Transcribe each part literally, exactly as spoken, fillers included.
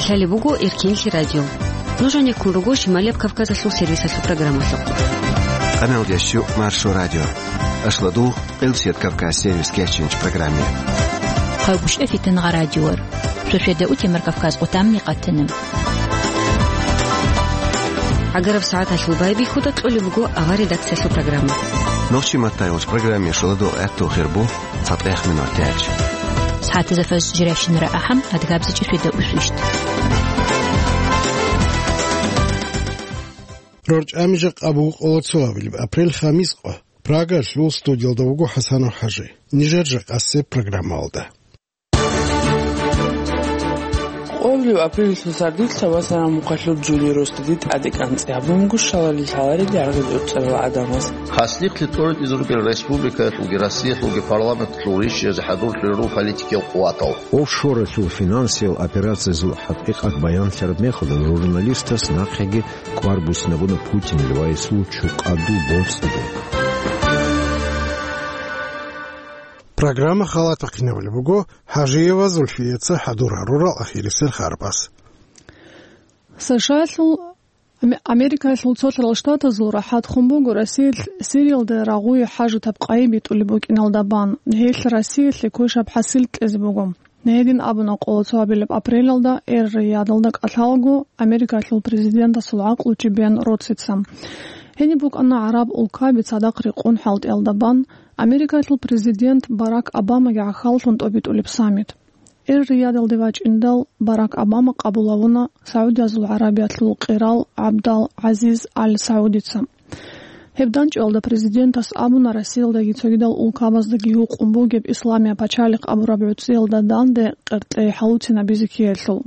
Лъалеб буго Эркенлъи радио. Нуж гьанеккун руго Шималияб Кавказалъул сервисалъул программалъухъ. Къаналдиясчу Маршо радио. Ашладу, Къилсият Кавказ сервис кечинч программе. Хъавгушев Фитнагъа радиор. Шошеда утемар Кавказ къутамни къатана. Агараб сагӀаталъул байбихьуда кьолеб буго авар редакциялъул программа. Нохчи маттайолч программе шуладу гӀатту хирбу. ЦатӀех минут тяч. СагӀатазда фаз жиращинара ахӀам, адгабзичӀи шведа усвищт. РорчӀами жакъа буго къоло цоабилеб апрель, хамис къо. Прагалъул студиялда вуго ХӀасанов ХӀажи. Нижер жакъасеб программалда. Къоло апрелалъул сардилъа ва сарам мухъалъур жули росдади тӀаде кӀанцӀи гьабун буго шалали лъаларел яргъи гӀуцӀарал гӀадамаз. Хаслихълъи тӀоритӀизе ругел республикаялъулги Россиялъулги парламенталъул ришиязде хӀадурлъулел руго политикиял къуватал. Офшоралъул финансиял операциязул хӀакъикъат баянлъараб мехалда журналистас нахъеги кӀвар буссинабуна Путинил ва гьесул чукъадул боцӀиде. Программа халатахъинабулеб буго ХӀажиева Зульфияца хӀадур гьарурал ахирисел харбаз. США-лъул, Ам-, Америкалъул цолъарал штатазул рахӀат хун буго Россиялъ Сириялда рагъуе хӀажатаб къайи битӀулеб букӀиналда бан, гьелъ Россиялъе квешаб хӀасил кьезе буго. Гьедин абуна къоло цоабилеб апрелалда Эр-Риядалда кӀалъалаго Америкалъул президентасул гӀакълучи Бен Роцица. Гьениб букӀана гӀараб улкаби цадахъ рекъон хӀалтӀиялда бан, Америкалъул президент Барак Обамаги гӀахьаллъун тӀобитӀулеб саммит. Эр-Риядалде вачӀиндал Барак Обама къабул гьавуна СагӀудиязул ГӀарабиялъул къерал ГӀабдал-ГӀазиз Ал-Саудица. Гьеб данчӀвалда президентас абуна Россиялдаги цогидал улкабаздаги гьукъун бугеб Исламия пачалихъ абураб гӀуцӀиялда данде къеркьей хӀалуцинабизе ккеялъул.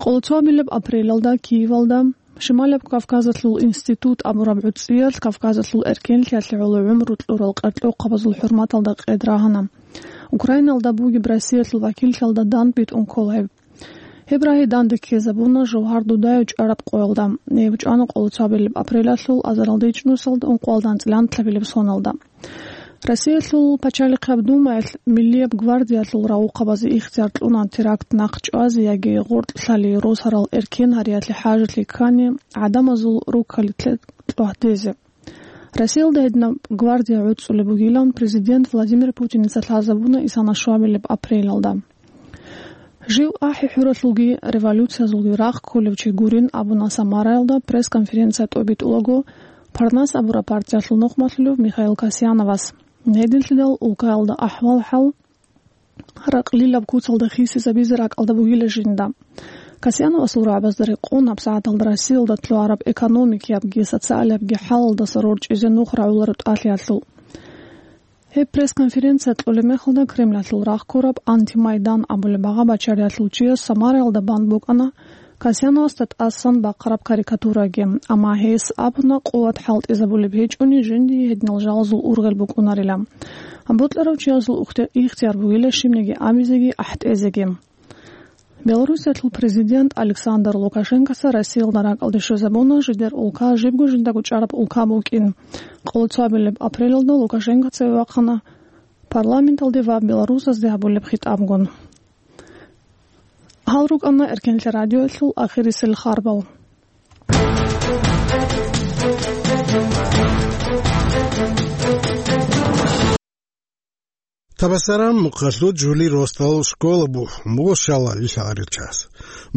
Къоло цоабилеб апрелалда Киевалда Шималаб Кавказалъул институт абураб гӀуцӀиялъ Кавказалъул эркенлъиялъе гӀоло гӀумру кьурал къеркьохъабазул хӀурматалда къед рагьана. Украиналда бугеб Россиялъул вакиллъиялда дандбитӀун ккола гьеб. Гьеб рагьи данде ккезабуна Жавгьар Дудаев чӀвараб къоялда. Гьеб чӀвана къоло цоабилеб апрелалъул азаралда ичӀнусалда ункъоялда анцӀила анкьабилеб соналда. Россиялъул Пачалихъаб Думаялъ Миллияб гвардиялъул рагъухъабазе ихтияр кьуна теракт нахъ чӀвазе яги гъоркь лъалей росарал эркен гьариялъе хӀажалъи ккани гӀадамазул руккали тлъе-, тлъугьдезе. Россиялда гьединаб гвардия гӀуцӀулеб бугилан президент Владимир Путиница лъазабуна исана щвабилеб апрелалда. Жив ахӀи-хӀуралъулги революциязулги рахъ кколев чи гурин абуна Самараялда пресс-конференция тӀобитӀулаго Парнас абураб партиялъул нухмалъулев Михаил Касьяновас. Гьединлъидал улкаялда ахӀвал-хӀал ракълилаб куцалда хисизабизе ракӀалда бугила жинда. Касьяновасул рагӀабазда рекъон гьабсагӀаталда Россиялда лъугьараб экономикиябги социалиябги хӀалалдаса рорчӀизе нух рагӀуларо тӀалъиялъул. Гьеб пресс-конференция кьолеб мехалда Кремлалъул рахъ ккураб Антимайдан абулеб багъа бачариялъул чияс Самараялда бан букӀана Касьяновасда тӀасан бахъараб карикатураги, амма гьес абуна къуват хӀалтӀизабулеб гьечӀони жиндие гьединал жалазул ургъел букӀунарила. Бокьарав чиясул ухти-, ихтияр бугила щибниги абизеги ахӀтӀезеги. Белоруссиялъул президент Александр Лукашенкоца Россиялда ракӀалде щвезабуна жидер улка жибго жиндаго чӀараб улка букӀин. Къоло цоабилеб апрелалда Лукашенкоца вахъана парламенталде ва белорусазде гьабулеб хитӀабгун. Гьал рукӀана Эркенлъи радиоялъул ахирисел харбал. Табасаран мухъалъуд жули росдал школа бухӀун буго шалали лъаларел час.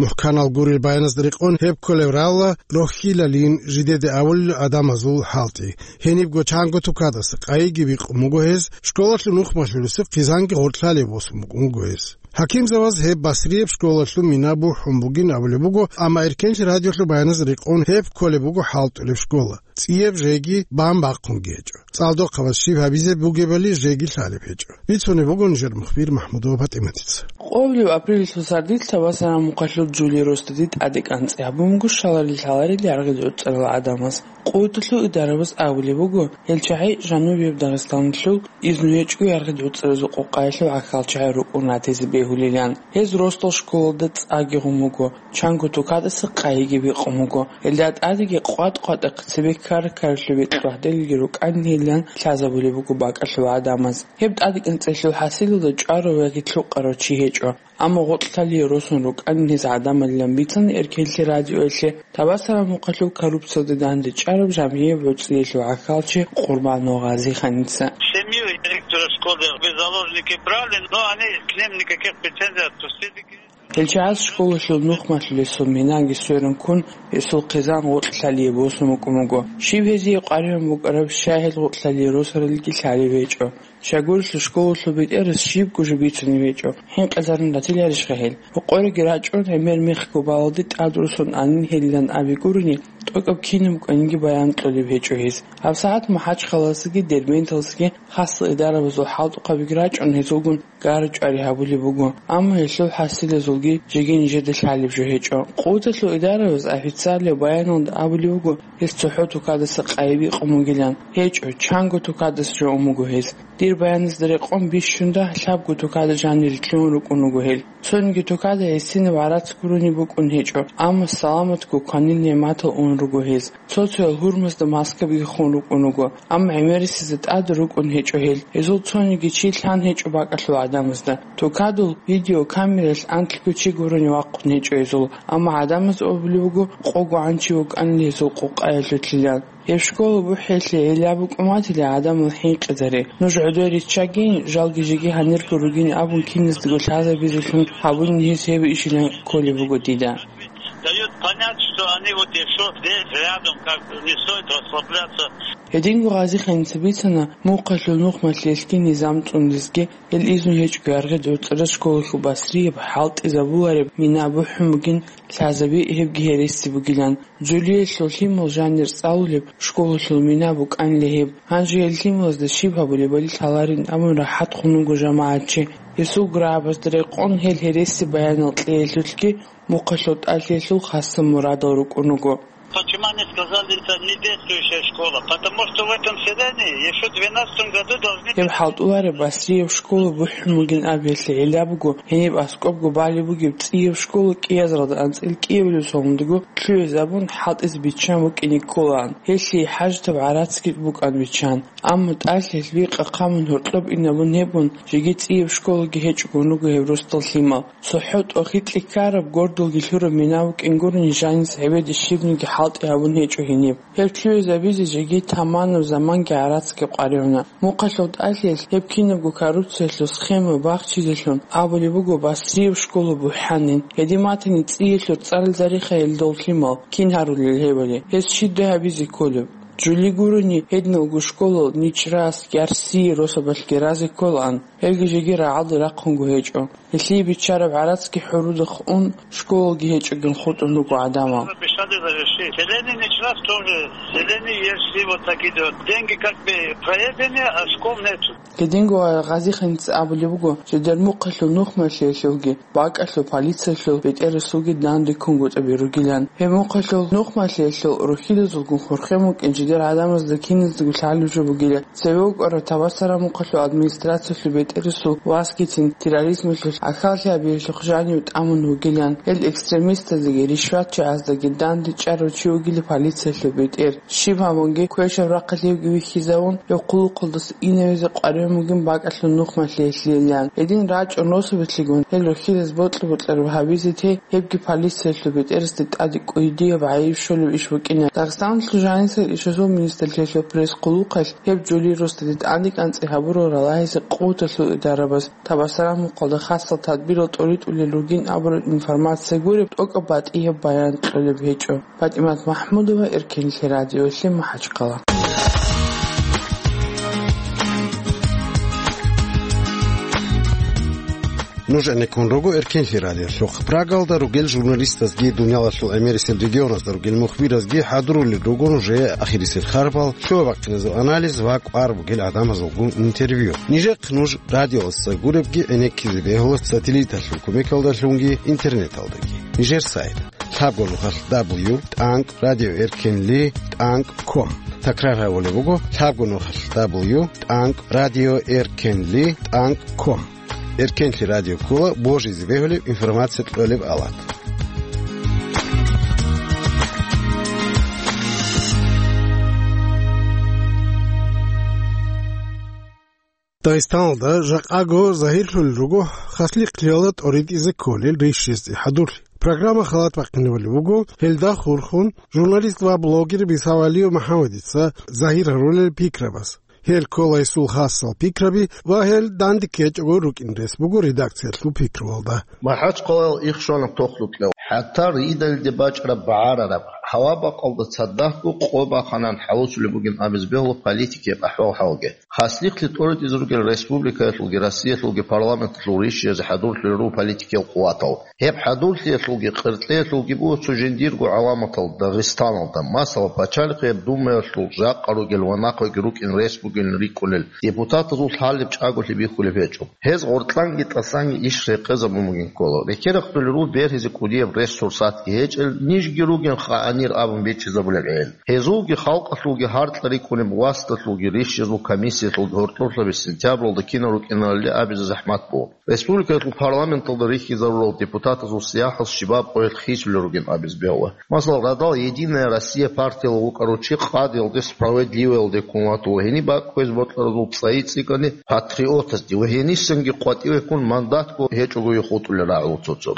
МухӀканал гурел баяназда рекъон гьеб кколев ралла рохьилалин жидеде авулел гӀадамазул хӀалтӀи. Гьенибго чанго тукадаса къайиги бикъун буго гьез, школалъул нухмалъулесеб хъизанги гъоркьлъалеб босун букӀун буго гьез. ХӀакимзаваз гьеб Басрияб школалъул мина бухӀун бугин абулеб буго, амма Эркенлъи радиолъул баяназда рекъон гьеб кколеб буго хӀалтӀулеб школа. ЦӀияб жеги бан бахъунги гьечӀо. ЦӀалдохъабаз щиб гьабизе бугебали жеги лъалеб гьечӀо. Бицунеб буго нижер мухбир МахӀмудова ПатӀиматица. Къоблъи апрелалъул сардилъа ва сарам мухъалъур жули росдади тӀаде кӀанцӀи гьабун буго шалали лъаларел яргъи гӀуцӀарал гӀадамаз. Къоялъул идарабаз абулеб буго, гьел чагӀи Жанубияб Дагъистаналъул изну гьечӀого яргъи гӀуцӀаразул къукъаялъул гӀахьал чагӀи рукӀун ратизе бегьулилан. Гьез росдал школалда цӀаги гъун буго, чанго тукадаса къайиги бикъун буго. Гьелда тӀадеги къватӀ-къватӀахъе цебе кар-каралъул бекьулъ гьадинги рукӀанилан лъазабулеб буго бакӀалъул гӀадамаз. Гьеб тӀадекӀанцӀелъул хӀасилалда чӀварав яги лъукъарав чи гьечӀо, амма гъоркьлъалие росун рукӀанин гьез гӀадамалилан бицана Эркенлъи радиоялъе Табасараб мухъалъул коррупциялде дандечӀараб жамгӀияб гӀуцӀиялъул гӀахьалчи Къурбанов Гъазиханица. Семью директора школы в заложники брали, но они к ним никаких претензий отпустили. Гьел чагӀаз школалъул нухмалъулесул минаги сверун ккун, гьесул хъизан гъоркьлъалие босун букӀун буго. Щиб гьезие къваригӀун букӀараб, щай гьел гъоркьлъалие росаралги лъалеб гьечӀо. Щайгурелъул школалъул бетӀерас щибго жо бицунеб гьечӀо, хӀинкъизарун ратиларищха гьел? Рокъореги рачӀун, гӀемер мехго балалде тӀад росун анин гьелилан абе гурони, тӀокӀаб кинаб кӀванинги баян кьолеб гьечӀо гьез. ГьабсагӀат МахӀачхъалаялдасаги Дербенталдасаги хасал идарабазул хӀалтӀухъабиги рачӀун гьезулгун гара-чӀвари гьабулеб буго, амма гьелъул хӀасилазулги жеги нижеда лъалеб жо гьечӀо. Къуваталъул идарабаз официалияб баяналда абулеб буго, гьес цохӀо тукадаса къайи бикъун бугилан. ГьечӀо, чанго тукадаса жо ун буго гьес. Дир баяназда рекъон бищунда лъабго тукада жанире лъугьун рукӀун руго гьел. Цониги тукада гьесинаб гӀарац гурони букӀун гьечӀо, амма саламатго кванил нигӀматал ун руго гьез. Цо-цоял гьурмазда маскабиги хун рукӀун руго, амма гӀемерисезда тӀад рукӀун гьечӀо гьел. Гьезул цониги чи лъан гьечӀо бакӀалъул гӀадамазда. Тукадул видеокамералъ анлъго чи гурони вахъун гьечӀо гьезул, амма гӀадамаз абулеб буго, къого гӀан чи вукӀанила гьезул къукъаялъулъилан. Гьеб школа бухӀиялъе гӀилла букӀун батила гӀадамал хӀинкъизари. Нуж гӀодор риччагин, жалги жеги гьанирго ругин абун киназдаго лъазабизелъун гьабунин гьез гьеб ишилан кколеб буго дида. Дают понять, что они вот ещё здесь рядом, как бы не стоит расслабляться. Гьединго Гъазиханица бицана, мухъалъул нухмалъиялъги низам цӀундезги, гьел изну гьечӀго яргъи дурцӀараз школалъул басрияб, хӀалтӀизабулареб мина бухӀун бугин, лъазаби гьебги гьереси бугилан. Жулиялъул лъимал жанир цӀалулеб школалъул мина букӀанила гьеб. Гьанже гьел лъималазда щиб гьабулебали лъаларин абун рахӀат хун вуго жамагӀатчи. Гьесул грабазда рекъон гьел гьереси баянал кьеялъулъги мухъалъул тӀалъиялъул хасаб мурадал рукӀун руго. Почему они сказали, это не действующая школа? Потому что в этом селении ещё в двенадцатом году должны... Гьеб хӀалтӀулареб басрияб школа бухӀун бугин абиялъе гӀилла буго, гьениб аскӀобго балеб бугеб цӀияб школа кӀиазаралда анцӀила кӀиабилеб сордонадаго лъугӀизабун хӀалтӀизе биччан букӀине кколаан. Гьелъие хӀажатаб гӀарацги букӀана биччан. Амма тӀалъиялъ бикъа хъамун гьоркьоб инабун гьебун, жеги цӀияб школаги гьечӀогун руго гьеб росдал лъимал. ЦохӀо тӀохитӀи ккараб, гордалги лъураб мина букӀин гурони, жаниса гьебеде щибниги хӀалтӀи гьабун гьечӀо гьениб. Гьеб лъугӀизабизе жеги таманаб заманги гӀарацги къваригӀуна. Мухъалъул тӀалъиялъ гьеб кинабго коррупциялъул схема бахчизелъун абулеб буго, басрияб школа бухӀанин. Гьедин батани, цӀиялъул цӀарал зарихъайила дол лъимал, кин гьарулел гьебали, гьез щибдай гьабизе кколеб. Жули гурони, гьединалго школал ничӀрас, ярси росабалъги разе кколаан, гьелги жеги рагӀалде рахъунго гьечӀо. Гьелъие биччараб гӀарацги хӀурудахъ ун, школалги гьечӀогин хутӀун руго гӀадамал. Обещали завершить. Селение ничего тоже. Селение есть, и вот такие вот. Деньги как бы проедены, а школ нету. Гьединго Гъазиханица абулеб буго, жидер мухъалъул нухмалъиялъулги, бакӀалъул полициялъул бетӀерасулги данде ккунгутӀаби ругилан. Гьеб мухъалъул нухмалъиялъул рухьидазулгун хурхен букӀин жидер гӀадамазда киназдаго лъалеб жо бугила. Цеве вукӀарав Табасараб мухъалъул администрациялъул бетӀерасул васгицин терроризмалъул гӀахьаллъи гьабиялъухъ жанив тӀамун вугилан. Гьел экстремистаздаги ришватчагӀаздаги данде чӀарав чи вугила полициялъул бетӀер. Щиб гьабунги, квешаб рахъалъивги вихьизавун, гьев хъулухъалдаса инавизе къваригӀун бугин бакӀалъул нухмалъиялъейилан. Гьедин рачӀун росабилъигун гьел рухьидаз бокьа-бокьараб гьабизе те, гьебги полициялъул бетӀерасде тӀаде кӀудияб гӀайиб щолеб иш букӀина. Дагъистаналъул жанисел ишазул министрлъиялъул пресс-хъулухъалъ гьеб жули росдаде тӀадекӀанцӀи гьабурал ралагьизе къуваталъул идарабаз Табасараб мухъалда хасал тадбирал тӀоритӀулел ругин абураб информация гуреб, тӀокӀаб батӀияб баян кьолеб гьечӀо. ПатӀимат МахӀмудова, Эркенлъи радиоялъе, МахӀачхъала. Нуж гӀенеккун руго Эркенлъи радиолъухъ. Прагалда ругел журналистазги, дуниялалъул гӀемерисел регионазда ругел мухбиразги хӀадурулел руго нужее ахирисел харпал, лъугьа-бахъиназул анализ ва кӀвар бугел гӀадамазулгун интервью. Нижехъ нуж радиоялдаса гуребги гӀенеккизе бегьула сателлиталъул кумекалдалъунги интернеталдаги. Нижер сайт: лъабго нухалъ дабл ю тӀанкӀ радио эркенли тӀанкӀ ком. Такрар гьабулеб буго: лъабго нухалъ дабл ю тӀанкӀ радио эркенли тӀанкӀ ком. Эркенлъи радио ккола божизе бегьулеб информация кьолеб авал. Дагъистаналда жакъаго загьирлъулел руго хаслихълъиялда тӀоритӀизе кколел рищизе хӀадурлъи. Программа халат бахъинабулеб буго, гьелда хурхун журналист ва блогер Бисавалиев МухӀаммадица загьир гьарулел пикрабаз. Гьел ккола гьесул хасал пикраби ва гьел данде ккечӀого рукӀин рес буго редакциялъул пикруялда. МахӀачхъалаялъ ихшвана тохлукьев, хӀатта ридалде бачӀараб багӀарараб, гьава-бакъалда цадахъго къо баханан хӀалусулеб бугин абизе бегьула политикияб ахӀвал-хӀалги. Хаслихълъи тӀоритӀизе ругел республикаялъулги Россиялъулги парламенталъул рищизе хӀадурлъулел руго политикиял къуватал. Гьеб хӀадурлъиялъулги къеркьеялъулги буго цо жиндирго гӀаламатал Дагъистаналда, масала, пачалихъияб Думаялъул жакъа ругел ва нахъеги рукӀин рес бугилан рикӀкӀунел депутатазул лъалеб чӀаголъи бихьулеб гьечӀо. Гьез гъоркьанги тӀасанги иш рекъезабун бугин ккола. Рекерахъулел руго бергьизе кӀудияб рес-сурсатги гьечӀел, нижги ругин къаанир абун бичӀчӀизабулел гӀел. Гьезулги халкъалъулги гьаркьа рикӀкӀунеб васдалъулги рищизул комиссиялъулги гьоркьоблъаби сентябралда кинал рукӀиналали абизе захӀмат буго. Республикаялъул парламенталда рихьизарурал депутатазул сияхӀал щибаб къоялъ хисулел ругин абизе бегьула. Масала, радал «Единая Россия» партиялъ вукӀарав чи къадиялде, справедливоялде ккун ватула, гьениб бакӀ кквезе бокьаразул цӀайи цӀикӀкӀани патриотазде ва гьенисанги къватӀиве ккун мандатго гьечӀого хутӀулел рагӀула цо-цо.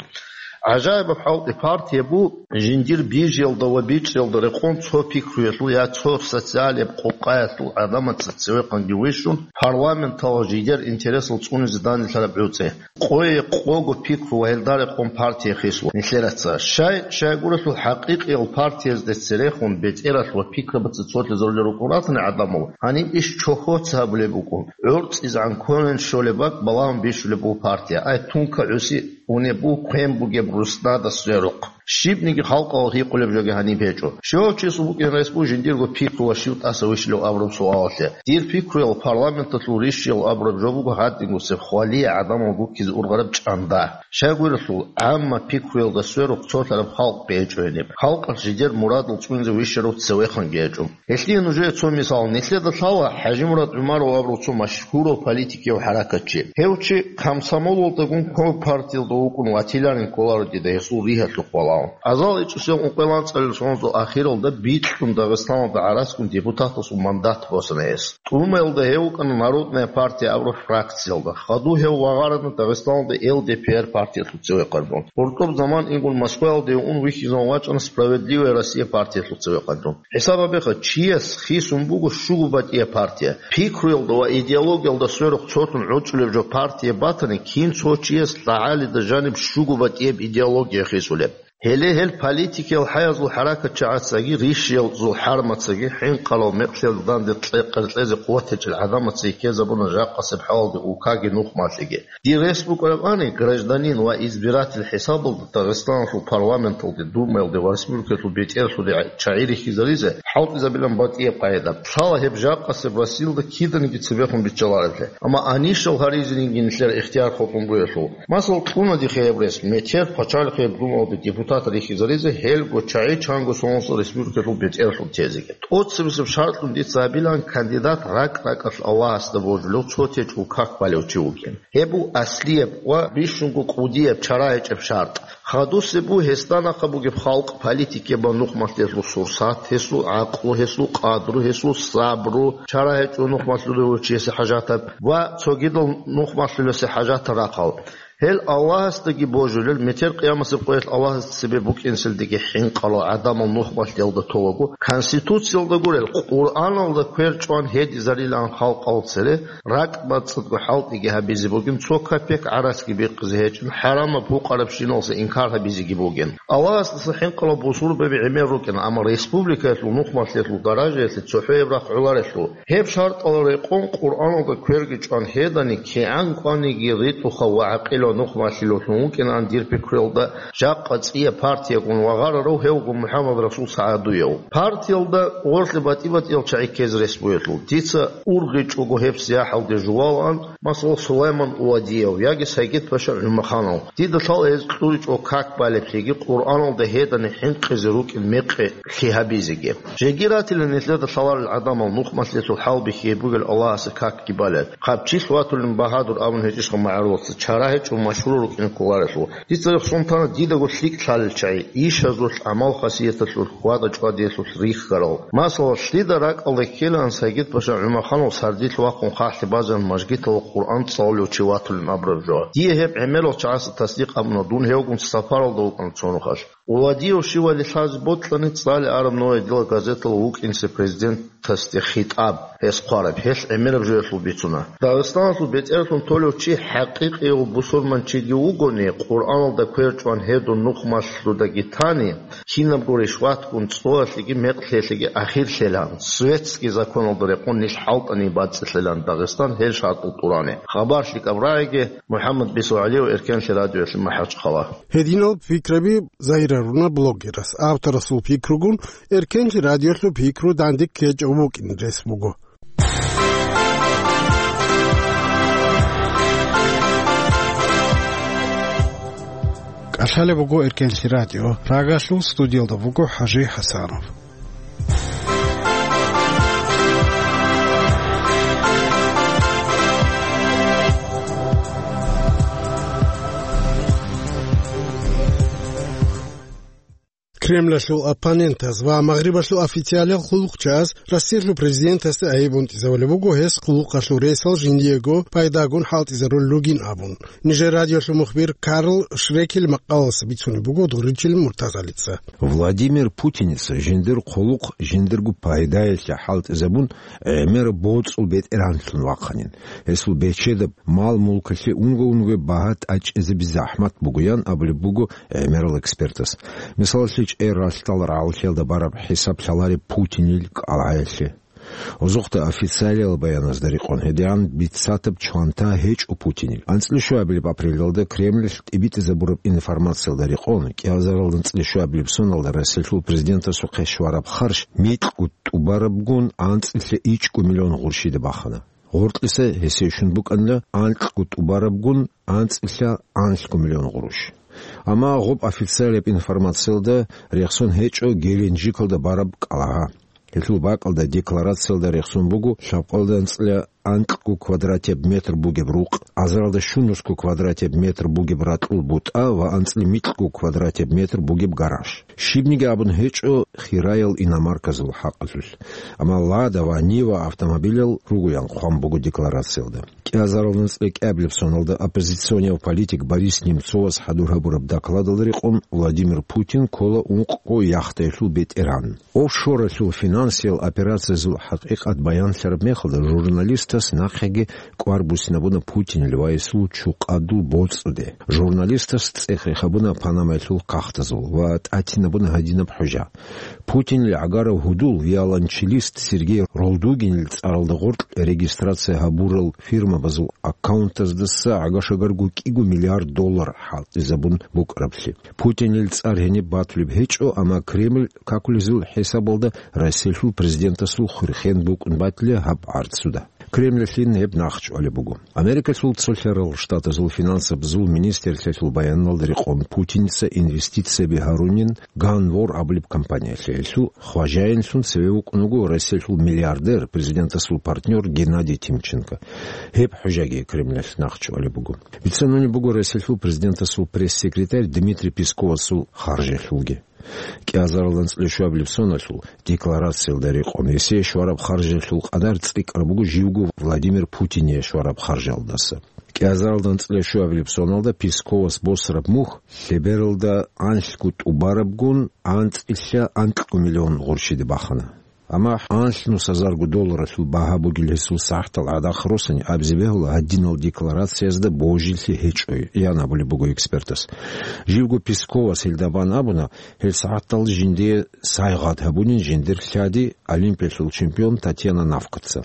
ГӀажаибаб хӀалтӀи, партия бу жиндир бижиялда ва бичӀчӀиялда рекъон цо пикруялъул я цо социалияб къукъаялъул гӀадамаца цевехъанги вищун, парламенталъ жидер интересал цӀунизе данделъараб гӀуцӀи. Къое къого пикру ва гьелда рекъон партия хисула нилъераца. Щай, щайгурелъул хӀакъикъиял партиязде церехун бетӀералъ ва пикрабаца цолъизарулел рукӀун ратани гӀадамал, гьаниб иш чохьоца гьабулеб букӀун. ГӀорцӀизегӀан квен щолеб бакӀ балагьун бищулеб буго партия. Ай, тунка гӀуси унеб буго, квен бугеб руснада сверухъ. Щибниги халкъалъ гьикъулеб жоги гьаниб гьечӀо. Щивав чиясул букӀин рес буго жиндирго пикру ва щив тӀаса вищулев абураб суалалъе. Дир пикруял, парламенталъул рищиял абураб жо буго гьадингусеб хвалие гӀадамал гуккизе ургъараб чӀанда. Щайгурелъул, гӀамма пикруялда сверухъ цолъараб халкъ гьечӀо гьениб. Халкъалъ жидер мурадал цӀунизе вищарав цевехъанги гьечӀо. Гьелъие нужее цо мисал. Нилъеда лъала ХӀажимурад ГӀумаров абурав цо машгьурав политикияв хӀаракатчи. Гьев чи комсомолалдагун ккола, партиялда вукӀун ватиларин кколаро дида гьесул ригьалъухъ валагьун. Азал ичӀусиял ункъоялда анцӀабилеб соналъул ахиралда бикьун Дагъистаналда гӀараскун депутатасул мандат босана гьес. ТӀумаялда гьев вукӀана «Народная партия» абураб фракциялда. Хадуб гьев вагъарана Дагъистаналда Л Д П Р партиялъул цевехъанлъун. ГъуртӀуб заман ингун Москваялде ун вихьизавун вачӀана «Справедливая Россия» партиялъул цевехъанлъун. ХӀисаб гьабеха, чияс хисун буго щуго батӀияб партия. Пикруялда ва идеологиялда сверухъ цолъун гӀорчӀулеб жо партия батани, кин цо чияс лъагӀалида жаниб щуго батӀияб идеология хисулеб. Гьеле гьел политикиял хӀаязул хӀаракатчагӀацаги, рищиязул хӀармацаги, хӀинкъарал мекълъиялда данде кье-, къеркьезе къуват гьечӀел гӀадамацаги ккезабуна жакъасеб хӀалалде улкаги нухмалъиги. Дир рес букӀарабани, гражданин ва избиратель хӀисабалда Дагъистаналъул парламенталде, Думаялде ва республикалъул бетӀерлъуде чагӀи рихьизаризе хӀалтӀизабилан батӀияб къайда. Лъала гьеб жакъасеб Россиялда киданиги цебехун биччалареблъи. Амма анищал гьаризеги нилъер ихтияр хутӀун бугелъул. Масал, кьуна дихъе гьеб рес, метер пачалихъияб Думаялде депутат рихьизаризе гьелго чагӀи чанго соналъ республикалъул бетӀерлъун тезеги. ТӀоцебесеб шартӀун дица гьабилан кандидат ракӀ-ракӀалъ Аллагьасда божулев цо течӀул как балев чи вукӀин. Гьеб буго аслияб ва бищунго кӀудияб чара гьечӀеб шартӀ. Хадусеб буго гьесда нахъа бугеб халкъ, политикияб ва нухмалъиялъул сурсат, гьесул гӀакълу, гьесул къадру, гьесул сабру, чара гьечӀо нухмалъулев чиясе хӀажатаб ва цогидал нухмалъулесе хӀажатал рахъал. Гьел Аллагьасдаги божулел, метер къиямасеб къоялъ Аллагьасда цебе букӀинсилдеги хӀинкъарал гӀадамал нухмалъиялда толаго, Конституциялда гурел, Къуръаналда квер чӀван гьедизарилан халкъал цере, ракӀ-бацӀцӀадго хӀалтӀиги гьабизе бугин, цо копек гӀарацги бихъизе гьечӀин, хӀарамаб гьукъарабщиналса инкар гьабизеги бугин. Аллагьасдаса хӀинкъарал бусурбаби гӀемер рукӀин, амма республикаялъул нухмалъиялъул даражаялъе цохӀояб рахъ гӀоларелъул. Гьеб шартӀал рекъон Къуръаналда кверги чӀван гьедани, кигӀан кӀваниги ритӀухъав ва гӀакъилав нухмалъилавлъун вукӀинаан дир пикруялда, жакъа цӀияб партиягун вагъарарав гьевго МухӀаммадрасул СагӀадуев. Партиялда гъорлъе батӀи-батӀиял чагӀи ккезе рес бугелъул, дица ургъичӀого гьеб сияхӀалде жувалаан, масала, Сулайман Увадиев яги Сагид-паша ГӀумаханов. Дида лъала гьез кьуричӀого как балеблъиги, Къуръаналда гьедани хӀинкъизе рукӀин мекъи лъи гьабизеги. Жеги ратила нилъеда лъаларел гӀадамал нухмалъиялъул хӀалбихьи бугел Аллагьасе какги балел. Хъабчилъ ватулин багьадур абун гьечӀищха магӀарулаца, чара гьечӀо машгьурал рукӀине кколарелъул. Дица рехсон тана дидаго лъикӀ лъалел чагӀи, ишазулъ, гӀамал-хасияталъулъ, ватӀа-чӀвадиялъулъ рихьарал. Масала, лъида ракӀалда ккелаан Сайгид-паша ГӀумаханов сардилъ вахъун хъахӀлъи базаран мажгиталда Къуръан цӀалулев чи ватулин абураб жо. Дие гьеб гӀемерал чагӀаца тасдикъ абуна, дун гьевгун сапаралда вукӀана цо нухалъ. Владиев щивали лъазе бокьани, цӀалиараб Новая дела газеталда вукӀинчӀеб президентасде хитӀаб, гьес хъвараб, гьелъ гӀемераб жоялъул бицуна. Дагъистаналъул бетӀерлъун толев чи хӀакъикъияв бусурманчиги вугони, Къуръаналда квер чӀван гьедун нухмалъудаги тани, кинабго ришватгун цоялъеги мекълъиялъеги ахирлъилан, светский законалда рекъон нилъ хӀалтӀани бацӀцӀилъилан Дагъистан гьел шартӀал тӀурани. Хабар лъикӀаб рагӀиги, МухӀаммад БицегӀулиев, Эркенлъи радиоялъе, МахӀачхъала. Гьединал пикраби загьир гьаруна блогерас, авторасул пикругун Эркенлъи радиоялъул пикру данде ккечӀев вукӀин рес буго. КӀалъалеб буго Эркенлъи радио, Прагалъул студиялда вуго ХӀажи ХӀасанов. Кремлалъул оппонентаз ва Магърибалъул официалиял хъулухъчияз Россиялъул президентасда айиб унтӀизавулеб буго гьес хъулухъалъул ресал жиндиего пайдагун хӀалтӀизарулел ругин абун. Нижер радиоялъул мухбир Карл Шрекель макъалаялъ бицунеб буго Дуричил Муртазалица. Владимир Путиница жиндир хъулухъ жиндирго пайдаялъе хӀалтӀизабун, гӀемер боцӀул бетӀеранлъун вахъанин. Гьесул бечедаб мал-мулкалъе унго-унго багьа тӀачӀизаби захӀмат бугоян абулеб буго гӀемерал экспертас. Мисалалъе, чӀей ралъдал рагӀаллъиялда бараб хӀисаб лъалареб Путинил кӀалгӀаялъе. Озухъда официалиял баяназда рекъон гьедигӀан бицатаб чванта гьечӀо Путинил. АнцӀила щуабилеб апрелалда Кремлалъ тӀибитӀизабураб информациялда рекъон, кӀиазаралда анцӀила щуабилеб соналда Россиялъул президентасухъе щвараб харж микьго тӀубарабгун анцӀила ичӀго миллион гъурщида бахана. Гъоркьиса гьесие щун букӀанила анкьго тӀубарабгун анцӀила анлъго миллион гъурущ. Амма гъоб официалияб информациялда рехсон гьечӀо Геленджикалда бараб кӀалгӀа. Гьелъул бакӀалда декларациялда рехсон буго лъабкъоялда анцӀила анкьго квадратияб метр бугеб рукъ, азаралда щунусго квадратияб метр бугеб ракьул бутӀа ва анцӀила микьго квадратияб метр бугеб гараж. Щибниги абун гьечӀо хираял иномарказул хӀакъалъулъ, амма Лада ва Нива автомобилал ругоян хъван буго декларациялда. КӀиазаралда анцӀила кӀиабилеб соналда оппозиционияв политик Борис Немцовас хӀадур гьабураб докладалда рекъон Владимир Путин ккола ункъго яхтаялъул бетӀеран. Офшоралъул финансиял операциязул хӀакъикъат баянлъараб мехалда журналистас нахъеги кӀвар буссинабуна Путинил ва гьесул чукъадул боцӀуде. Журналистас цӀех рехабуна Панамаялъул кагътазул ва тӀатинабуна гьадинаб хӀужа. Путинил гӀагарав гьудул, виолончелист Сергей Ролдугинил цӀаралда гъоркь регистрация гьабурал фирмабазул аккаунтаздаса гӀага-шагарго кӀиго миллиард доллар хӀалтӀизабун букӀараблъи. Путинил цӀар гьениб батулеб гьечӀо, амма Кремль какулезул хӀисабалда Россиялъул президентасул хурхен букӀун батила гьаб гӀарцуда. Кремльалъин гьеб нахъчӀвалеб буго. Америкалъул цолъарал штатазул финансабазул министрлъиялъул баяналда рекъон Путиница инвестицияби гьарунин Ганвор абулеб компаниялъе, гьелъул хважаинлъун цеве вукӀун вуго Россиялъул миллиардер, президентасул партнер Геннадий Тимченко. Гьеб хӀужаги Кремльалъ нахъчӀвалеб буго. Бицанунеб буго Россиялъул президентасул пресс-секретарь Дмитрий Песковасул харжалъулги. КӀиазаралда анцӀила щуабилеб соналъул декларациялда рекъон гьесие щвараб харжалъул къадар цӀикӀкӀараб буго живго Владимир Путине щвараб харжалдаса. КӀиазаралда анцӀила щуабилеб соналда Песковас босараб мухь лъебералда анлъго тӀубарабгун анцӀила анкьго миллион гъурщиде бахана. Амма анлънус гьазарго долларалъул багьа бугел гьесул сагӀатал гӀадахъ росани абизе бегьула гьадинал декларациязда божилъи гьечӀой, ян абулеб буго экспертас. Живго Песковас гьелда бан абуна, гьел сагӀатал жиндие сайгъат гьабунин жиндир лъади, Олимпиялъул чемпион Татьяна Навкаца.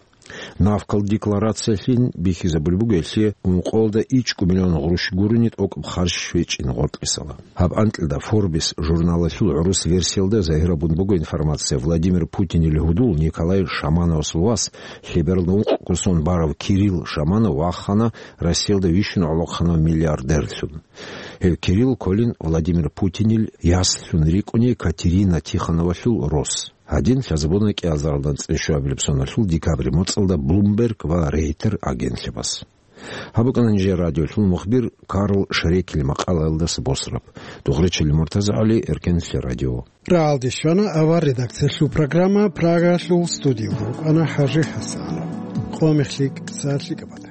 Навкал декларациялъин бихьизабулеб буго гьелъие ункъоялда ичӀго миллион гъурущ гурони тӀокӀаб харж щвечӀин гъоркьисала. Гьаб анкьида Forbes журналалъул гӀурус версиялда загьирабун буго информация: Владимир Путинил гьудул Николай Шамановасул вас, лъебералда ункъго сон барав Кирилл Шаманов вахана Россиялда вищун гӀолохъанав миллиардерлъун. Гьев Кирилл кколин Владимир Путинил яслъун рикӀкӀуни Катерина Тихоновалъул рос. Гьадин лъазабуна кӀиазаралда анцӀила щуабилеб соналъул декабрь моцӀалда Bloomberg ва Рейтер агентлъабаз. Гьаб букӀана нижер радиолъул мухбир Карл Шрекель макъалаялдаса босараб. Дугъричилли Муртаза ГӀали, Эркенлъи радио. РагӀалде щвана авар редакциялъул программа, Прагалъул студиялда вукӀана ХӀажи ХӀасанов. Къо мехлъи кӀиса лъикӀаб.